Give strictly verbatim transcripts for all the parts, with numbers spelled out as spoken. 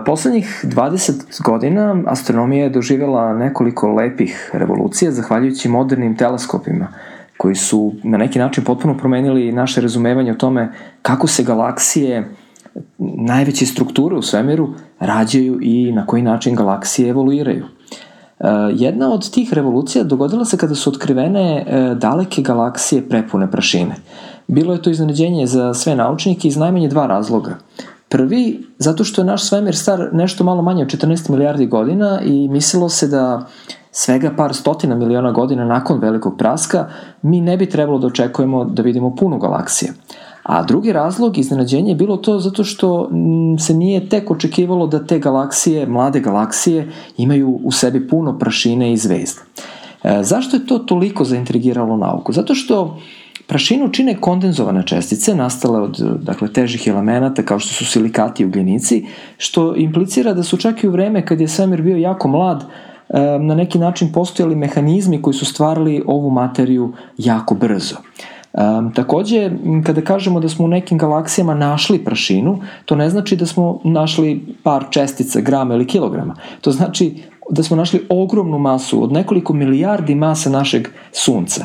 Poslednjih dvadeset godina astronomija je doživjela nekoliko lepih revolucija zahvaljujući modernim teleskopima koji su na neki način potpuno promenili naše razumevanje o tome kako se galaksije, najveće strukture u svemiru, rađaju i na koji način galaksije evoluiraju. Jedna od tih revolucija dogodila se kada su otkrivene daleke galaksije prepune prašine. Bilo je to iznenađenje za sve naučnike iz najmanje dva razloga. Prvi, zato što je naš svemir star nešto malo manje od četrnaest milijardi godina i mislilo se da svega par stotina miliona godina nakon velikog praska mi ne bi trebalo da očekujemo da vidimo puno galaksije. A drugi razlog, iznenađenje, je bilo to zato što se nije tek očekivalo da te galaksije, mlade galaksije, imaju u sebi puno prašine i zvezda. E, zašto je to toliko zaintrigiralo nauku? Zato što prašinu čine kondenzovane čestice nastale od, dakle, težih elemenata kao što su silikati i ugljenici, što implicira da su čak i u vreme kad je svemir bio jako mlad, na neki način postojali mehanizmi koji su stvarali ovu materiju jako brzo. Um, takođe, kada kažemo da smo u nekim galaksijama našli prašinu, to ne znači da smo našli par čestica, grama ili kilograma. To znači da smo našli ogromnu masu od nekoliko milijardi masa našeg Sunca.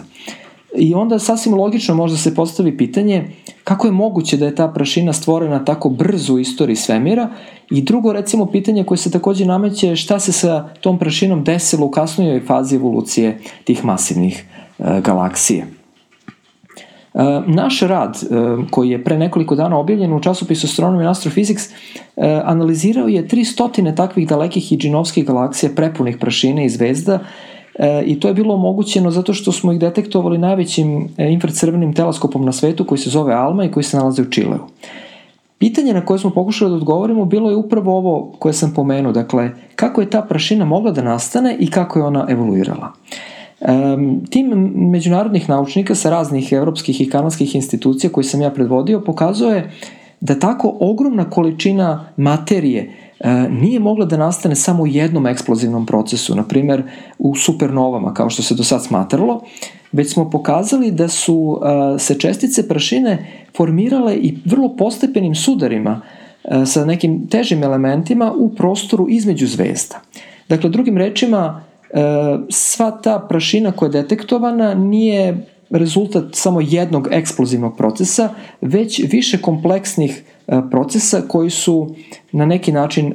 I onda sasvim logično možda se postavi pitanje kako je moguće da je ta prašina stvorena tako brzo u istoriji svemira i drugo, recimo, pitanje koje se takođe nameće šta se sa tom prašinom desilo u kasnijoj fazi evolucije tih masivnih e, galaksija. E, naš rad, e, koji je pre nekoliko dana objavljen u časopisu Astronomy and Astrophysics, e, analizirao je tri stotine takvih dalekih i džinovskih galaksija prepunih prašine i zvezda, E, i to je bilo omogućeno zato što smo ih detektovali najvećim infracrvenim teleskopom na svetu koji se zove ALMA i koji se nalazi u Čileu. Pitanje na koje smo pokušali da odgovorimo bilo je upravo ovo koje sam pomenuo, dakle, kako je ta prašina mogla da nastane i kako je ona evoluirala. E, tim međunarodnih naučnika sa raznih evropskih i kanadskih institucija koji sam ja predvodio pokazuje da tako ogromna količina materije nije mogla da nastane samo u jednom eksplozivnom procesu, na primer u supernovama, kao što se do sad smatralo, već smo pokazali da su se čestice prašine formirale i vrlo postepenim sudarima sa nekim težim elementima u prostoru između zvezda. Dakle, drugim rečima, sva ta prašina koja je detektovana nije rezultat samo jednog eksplozivnog procesa, već više kompleksnih procesa koji su na neki način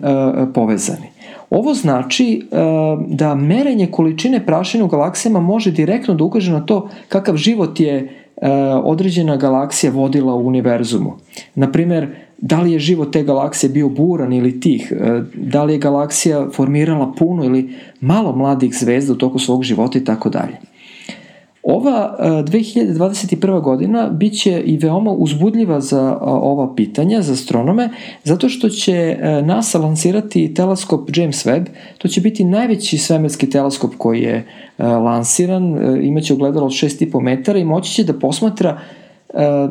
povezani. Ovo znači da merenje količine prašine u galaksijama može direktno da ukaže na to kakav život je određena galaksija vodila u univerzumu. Naprimer, da li je život te galaksije bio buran ili tih, da li je galaksija formirala puno ili malo mladih zvezda u toku svog života i tako dalje. Ova dve hiljade dvadeset prva godina bit će i veoma uzbudljiva za ova pitanja, za astronome, zato što će NASA lansirati teleskop James Webb. To će biti najveći svemirski teleskop koji je lansiran, imaće ogledalo od šest i po metara i moći će da posmatra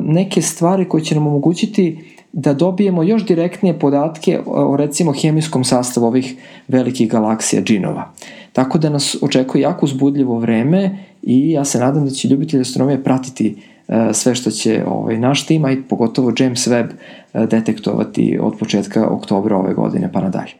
neke stvari koje će nam omogućiti da dobijemo još direktnije podatke o, recimo, hemijskom sastavu ovih velikih galaksija, džinova. Tako da nas očekuje jako uzbudljivo vreme i ja se nadam da će ljubitelji astronomije pratiti uh, sve što će ovaj, naš tim, a i pogotovo James Webb uh, detektovati od početka oktobra ove godine pa nadalje.